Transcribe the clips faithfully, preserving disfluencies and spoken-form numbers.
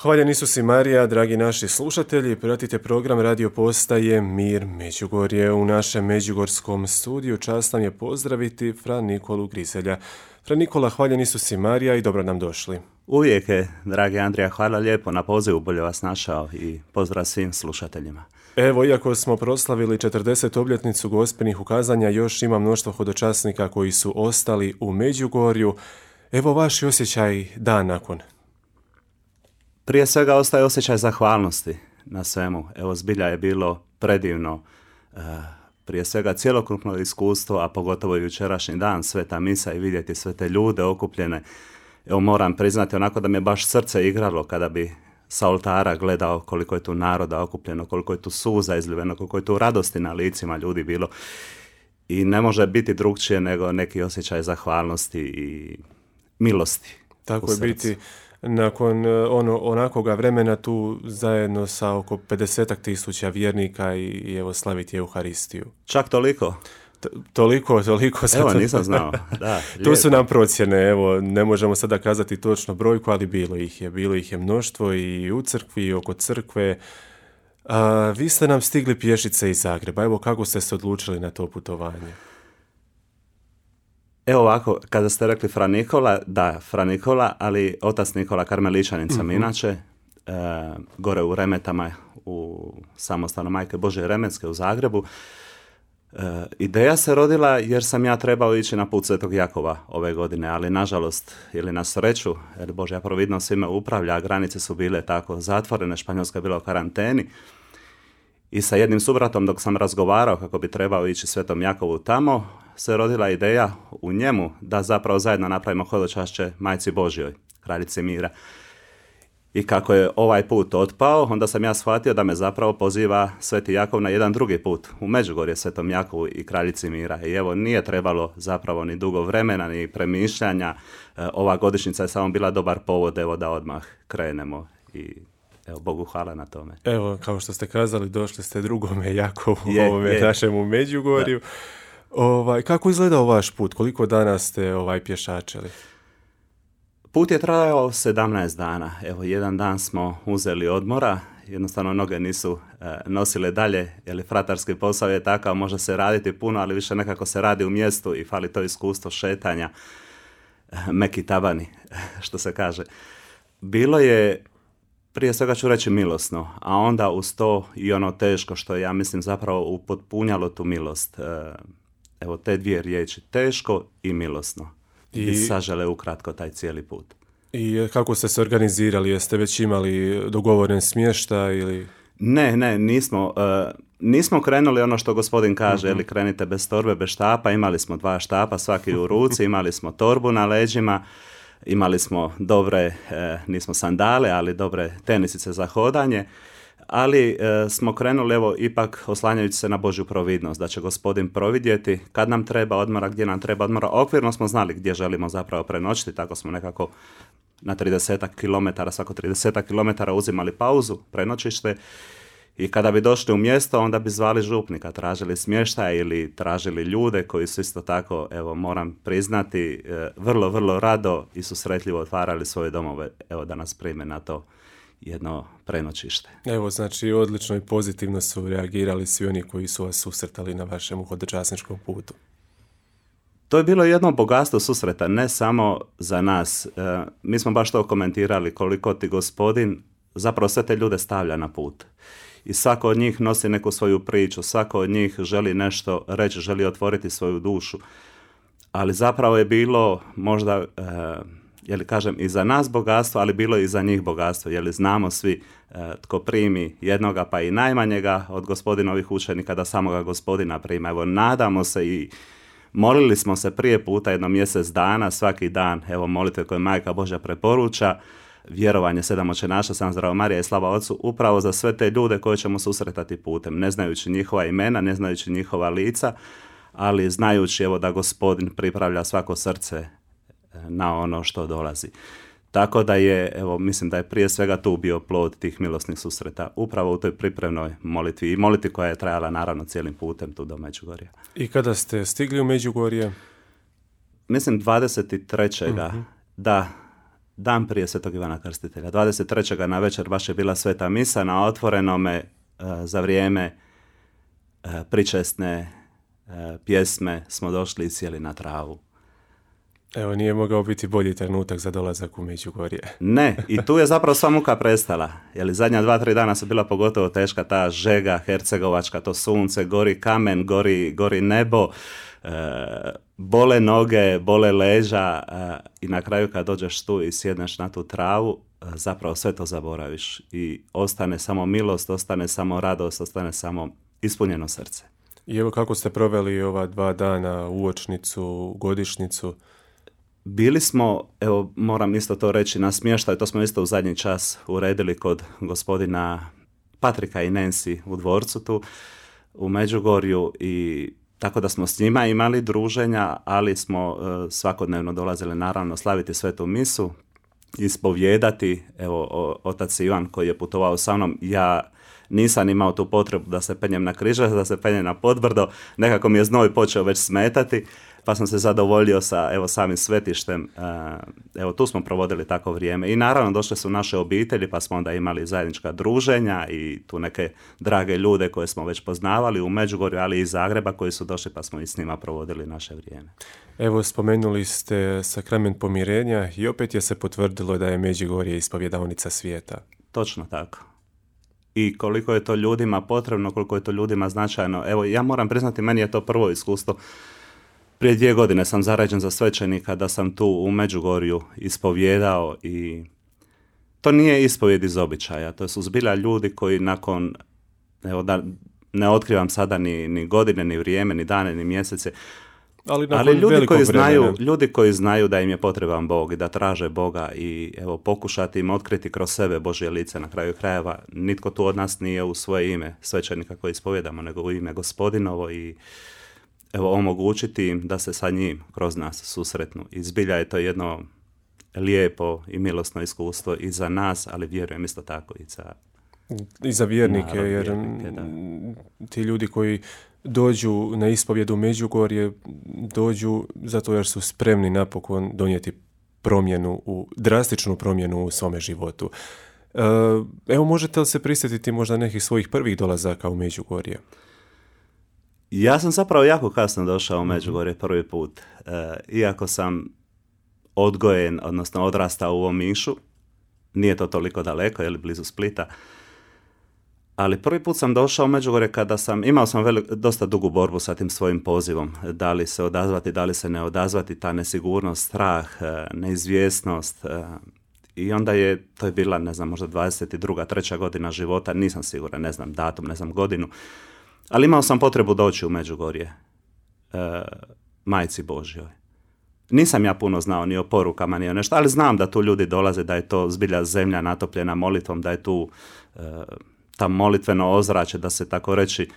Hvaljen Isus i Marija, dragi naši slušatelji, pratite program radio postaje Mir Međugorje. U našem međugorskom studiju čast nam je pozdraviti fra Nikolu Grizelja. Fra Nikola, hvaljen Isus i Marija i dobro nam došli. Uvijek je, dragi Andrija, hvala lijepo na pozivu, bolje vas našao i pozdrav svim slušateljima. Evo, iako smo proslavili četrdesetu obljetnicu Gospinih ukazanja, još ima mnoštvo hodočasnika koji su ostali u Međugorju. Evo vaš osjećaj dan nakon. Prije svega ostaje osjećaj zahvalnosti na svemu. Evo, zbilja je bilo predivno. E, prije svega cjelokupno iskustvo, a pogotovo jučerašnji dan, sveta misa i vidjeti sve te ljude okupljene. Evo, moram priznati onako da mi je baš srce igralo kada bi sa oltara gledao koliko je tu naroda okupljeno, koliko je tu suza izljiveno, koliko je tu radosti na licima ljudi bilo. I ne može biti drugčije nego neki osjećaj zahvalnosti i milosti. Tako je biti nakon ono, onakoga vremena tu zajedno sa oko pedesetak tisuća vjernika i, i evo slaviti Euharistiju. Čak toliko? T- toliko, toliko. Evo, to... nisam znao. Da, tu su nam procjene, evo, ne možemo sada kazati točno brojku, ali bilo ih je. Bilo ih je mnoštvo i u crkvi i oko crkve. A, vi ste nam stigli pješice iz Zagreba. Evo, kako ste se odlučili na to putovanje? Evo ovako, kada ste rekli Fra Nikola, da, Fra Nikola, ali otac Nikola Karmeličanin sam uh-huh. inače, e, gore u Remetama, u samostanu Majke Božje Remetske u Zagrebu. E, ideja se rodila jer sam ja trebao ići na put Svetog Jakova ove godine, ali nažalost, ili na sreću, jer Božja providnost svime upravlja, granice su bile tako zatvorene, Španjolska je bila u karanteni. I sa jednim subratom dok sam razgovarao kako bi trebao ići Svetom Jakovu tamo, se rodila ideja u njemu da zapravo zajedno napravimo hodočašće Majci Božjoj, Kraljici mira. I kako je ovaj put otpao, onda sam ja shvatio da me zapravo poziva Sveti Jakov na jedan drugi put, u Međugorje Svetom Jakovu i Kraljici mira. I evo, nije trebalo zapravo ni dugo vremena, ni premišljanja. E, ova godišnjica je samo bila dobar povod, evo, da odmah krenemo i... Evo, Bogu hvala na tome. Evo, kao što ste kazali, došli ste drugome Jakovu, je, ovome je. našemu Međugorju. Ovaj, kako izgledao vaš put? Koliko dana ste ovaj, pješačili? Put je trajao sedamnaest dana. Evo, jedan dan smo uzeli odmora. Jednostavno, noge nisu e, nosile dalje, jer fratarski posao je takav, može se raditi puno, ali više nekako se radi u mjestu i fali to iskustvo šetanja, e, meki tabani, što se kaže. Bilo je, prije svega ću reći, milosno, a onda uz to i ono teško što je, ja mislim, zapravo upotpunjalo tu milost. Evo, te dvije riječi, teško i milosno. I, I sažele ukratko taj cijeli put. I kako ste se organizirali? Jeste već imali dogovoren smještaj ili... Ne, ne, nismo. Uh, nismo krenuli ono što gospodin kaže, uh-huh. ili krenite bez torbe, bez štapa. Imali smo dva štapa, svaki u ruci, imali smo torbu na leđima. Imali smo dobre, e, nismo sandale, ali dobre tenisice za hodanje, ali e, smo krenuli, evo, ipak oslanjajući se na Božju providnost, da će gospodin providjeti kad nam treba odmora, gdje nam treba odmora. Okvirno smo znali gdje želimo zapravo prenoćiti, tako smo nekako na tridesetak kilometara, svako tridesetak kilometara uzimali pauzu, prenoćište. I kada bi došli u mjesto, onda bi zvali župnika, tražili smještaj ili tražili ljude koji su isto tako, evo, moram priznati, vrlo, vrlo rado i susretljivo otvarali svoje domove, evo, da nas prime na to jedno prenoćište. Evo, znači, odlično i pozitivno su reagirali svi oni koji su vas susretali na vašem hodočasničkom putu. To je bilo jedno bogatstvo susreta, ne samo za nas. E, mi smo baš to komentirali, koliko ti gospodin zapravo sve te ljude stavlja na put. I svako od njih nosi neku svoju priču, svako od njih želi nešto reći, želi otvoriti svoju dušu. Ali zapravo je bilo možda, e, je li kažem, i za nas bogatstvo, ali bilo i za njih bogatstvo. Je li znamo svi e, tko primi jednoga pa i najmanjega od gospodinovih učenika da samoga gospodina prima. Evo, nadamo se i molili smo se prije puta jedno mjesec dana, svaki dan, evo, molitve koje Majka Božja preporuča, vjerovanje, sedam očenaša, sam zdravo Marija i slava Otcu, upravo za sve te ljude koje ćemo susretati putem, ne znajući njihova imena, ne znajući njihova lica, ali znajući, evo, da gospodin pripravlja svako srce na ono što dolazi. Tako da je, evo, mislim da je prije svega tu bio plod tih milosnih susreta, upravo u toj pripremnoj molitvi i molitvi koja je trajala naravno cijelim putem tu do Međugorja. I kada ste stigli u Međugorje? Mislim dvadeset trećeg Uh-huh. Da, dan prije Svetog Ivana Krstitelja. dvadeset trećeg na večer baš je bila sveta misa na otvorenome uh, za vrijeme uh, pričesne uh, pjesme smo došli i sjeli na travu. Evo, nije mogao biti bolji trenutak za dolazak u Međugorje. Ne, i tu je zapravo sva muka prestala. Jer zadnja dva, tri dana su bila pogotovo teška, ta žega hercegovačka, to sunce, gori kamen, gori, gori nebo, e, bole noge, bole leža e, i na kraju kad dođeš tu i sjedneš na tu travu, e, zapravo sve to zaboraviš i ostane samo milost, ostane samo radost, ostane samo ispunjeno srce. I evo kako ste proveli ova dva dana, uočnicu, godišnjicu? Bili smo, evo moram isto to reći, na smještaj, to smo isto u zadnji čas uredili kod gospodina Patrika i Nancy u dvorcu tu u Međugorju i tako da smo s njima imali druženja, ali smo uh, svakodnevno dolazili naravno slaviti svetu misu, ispovijedati, evo o, otac Ivan koji je putovao sa mnom, ja nisam imao tu potrebu da se penjem na križac, da se penjem na podbrdo, nekako mi je znoj počeo već smetati, pa sam se zadovoljio sa evo samim svetištem. Evo tu smo provodili tako vrijeme i naravno došle su naše obitelji, pa smo onda imali zajednička druženja i tu neke drage ljude koje smo već poznavali u Međugorju, ali i iz Zagreba koji su došli, pa smo i s njima provodili naše vrijeme. Evo, spomenuli ste sakrament pomirenja i opet je se potvrdilo da je Međugorje ispovjedaonica svijeta. Točno tako. I koliko je to ljudima potrebno, koliko je to ljudima značajno. Evo, ja moram priznati, meni je to prvo iskustvo. Prije dvije godine sam zarađen za svećenika da sam tu u Međugorju ispovjedao i to nije ispovjed iz običaja. To su zbilja ljudi koji nakon, evo da ne otkrivam sada ni, ni godine, ni vrijeme, ni dane, ni mjesece, ali, ali ljudi koji znaju, ljudi koji znaju da im je potreban Bog i da traže Boga i evo pokušati im otkriti kroz sebe Božje lice na kraju krajeva. Nitko tu od nas nije u svoje ime svećenika koji ispovjedamo, nego u ime Gospodinovo i evo omogućiti im da se sa njim kroz nas susretnu. I zbilja je to jedno lijepo i milosno iskustvo i za nas, ali vjerujem isto tako i za i za vjernike, naravno, jer vjernike, ti ljudi koji dođu na ispovjedu Međugorje, dođu zato jer su spremni napokon donijeti promjenu, u, drastičnu promjenu u svome životu. Evo, možete li se prisjetiti možda nekih svojih prvih dolazaka u Međugorje? Ja sam zapravo jako kasno došao u Međugorje prvi put. E, iako sam odgojen, odnosno odrastao u Omišu, nije to toliko daleko, je li blizu Splita, ali prvi put sam došao u Međugorje kada sam, imao sam velik, dosta dugu borbu sa tim svojim pozivom. Da li se odazvati, da li se ne odazvati, ta nesigurnost, strah, neizvjesnost. I onda je, to je bila, ne znam, možda dvadeset druga, treća godina života, nisam siguran, ne znam datum, ne znam godinu, ali imao sam potrebu doći u Međugorje, e, Majci Božjoj. Nisam ja puno znao ni o porukama, ni o nešto, ali znam da tu ljudi dolaze, da je to zbilja zemlja natopljena molitvom, da je tu e, ta molitveno ozračje, da se tako reći,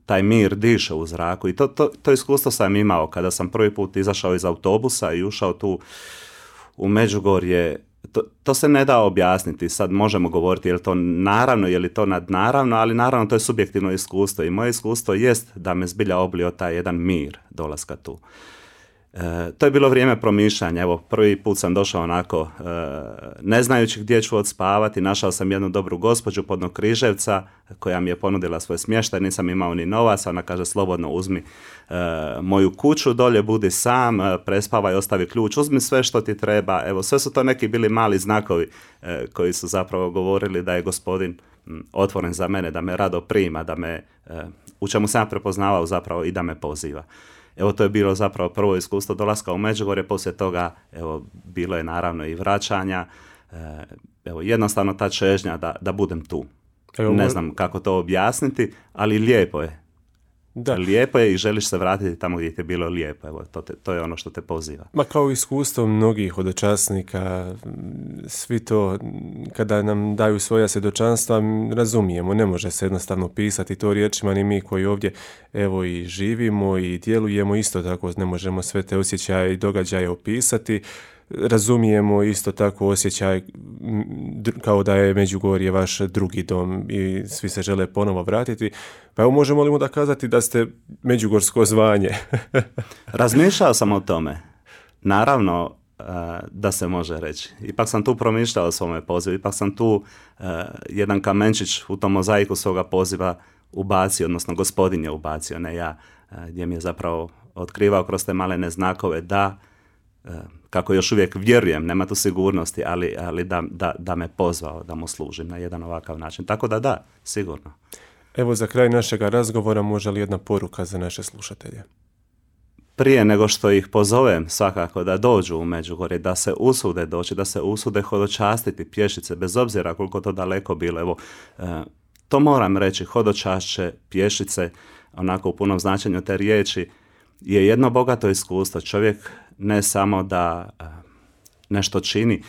taj mir diše u zraku. I to, to, to iskustvo sam imao kada sam prvi put izašao iz autobusa i ušao tu u Međugorje. To, to se ne da objasniti, sad možemo govoriti je li to naravno, je li to nadnaravno, ali naravno to je subjektivno iskustvo i moje iskustvo jest da me zbilja oblio taj jedan mir dolaska tu. E, to je bilo vrijeme promišljanja, evo prvi put sam došao onako e, ne znajući gdje ću odspavati, našao sam jednu dobru gospođu podno Križevca koja mi je ponudila svoj smještaj, nisam imao ni novaca, ona kaže slobodno uzmi e, moju kuću, dolje budi sam, e, prespavaj, ostavi ključ, uzmi sve što ti treba, evo sve su to neki bili mali znakovi e, koji su zapravo govorili da je Gospodin m, otvoren za mene, da me rado prima, da me, e, u čemu sam ja prepoznavao zapravo i da me poziva. Evo to je bilo zapravo prvo iskustvo dolaska u Međugorje, poslije toga evo bilo je naravno i vraćanja, evo jednostavno ta čežnja da, da budem tu. Evo, ne znam kako to objasniti, ali lijepo je. Da. Lijepo je i želiš se vratiti tamo gdje ti je bilo lijepo. Evo, to, te, to je ono što te poziva. Ma kao iskustvo mnogih hodočasnika, svi to kada nam daju svoja svjedočanstva razumijemo, ne može se jednostavno pisati to riječima, ni mi koji ovdje evo i živimo i djelujemo isto tako ne možemo sve te osjećaje i događaje opisati. Razumijemo isto tako osjećaj kao da je Međugorje vaš drugi dom i svi se žele ponovo vratiti. Pa evo možemo li mu da kazati da ste međugorsko zvanje? Razmišljao sam o tome. Naravno, da se može reći. Ipak sam tu promišljao o svome pozivu, ipak sam tu uh, jedan kamenčić u tom mozaiku svoga poziva ubacio, odnosno Gospodin je ubacio, ne ja, uh, gdje mi je zapravo otkrivao kroz te malene znakove da, uh, kako još uvijek vjerujem, nema tu sigurnosti, ali, ali da, da, da me pozvao da mu služim na jedan ovakav način. Tako da da, sigurno. Evo za kraj našeg razgovora može li jedna poruka za naše slušatelje? Prije nego što ih pozovem svakako da dođu u Međugorje, da se usude doći, da se usude hodočastiti pješice, bez obzira koliko to daleko bilo. Evo, to moram reći, hodočašće pješice, onako u punom značenju te riječi, je jedno bogato iskustvo. Čovjek ne samo da nešto čini,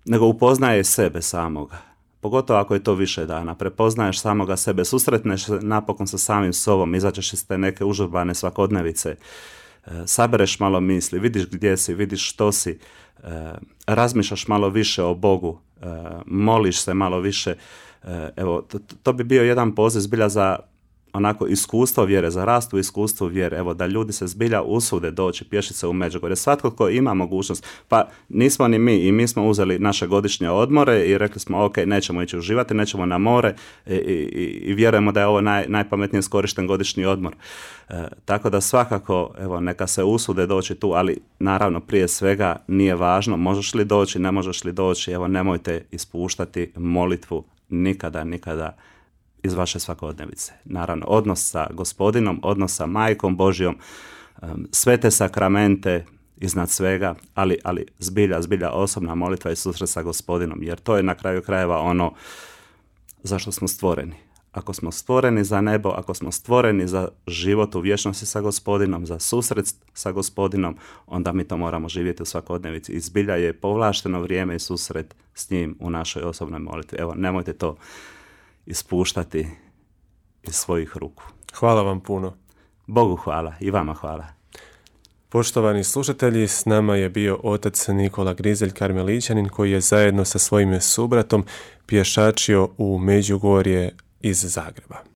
nego upoznaje sebe samoga. Pogotovo ako je to više dana, prepoznaješ samoga sebe, susretneš se napokon sa samim sobom, izađeš iz te neke užurbane svakodnevice, sabereš malo misli, vidiš gdje si, vidiš što si, razmišljaš malo više o Bogu, moliš se malo više. Evo, to, to bi bio jedan poziv zbilja za onako iskustvo vjere, za rast u iskustvu vjere, evo da ljudi se zbilja usude doći pješice u Međugorje. Svatko tko ima mogućnost, pa nismo ni mi, i mi smo uzeli naše godišnje odmore i rekli smo ok, nećemo ići uživati, nećemo na more i, i, i vjerujemo da je ovo naj, najpametnije iskorišten godišnji odmor. E, tako da svakako, evo, neka se usude doći tu, ali naravno prije svega nije važno možeš li doći, ne možeš li doći, evo nemojte ispuštati molitvu nikada, nikada iz vaše svakodnevice. Naravno, odnos sa Gospodinom, odnos sa Majkom Božjom, sve te sakramente iznad svega, ali, ali zbilja, zbilja osobna molitva i susret sa Gospodinom, jer to je na kraju krajeva ono zašto smo stvoreni. Ako smo stvoreni za nebo, ako smo stvoreni za život u vječnosti sa Gospodinom, za susret sa Gospodinom, onda mi to moramo živjeti u svakodnevici. I zbilja je povlašteno vrijeme i susret s njim u našoj osobnoj molitvi. Evo, nemojte to ispuštati iz svojih ruku. Hvala vam puno. Bogu hvala i vama hvala. Poštovani slušatelji, s nama je bio otac Nikola Grizelj Karmelićanin koji je zajedno sa svojim subratom pješačio u Međugorje iz Zagreba.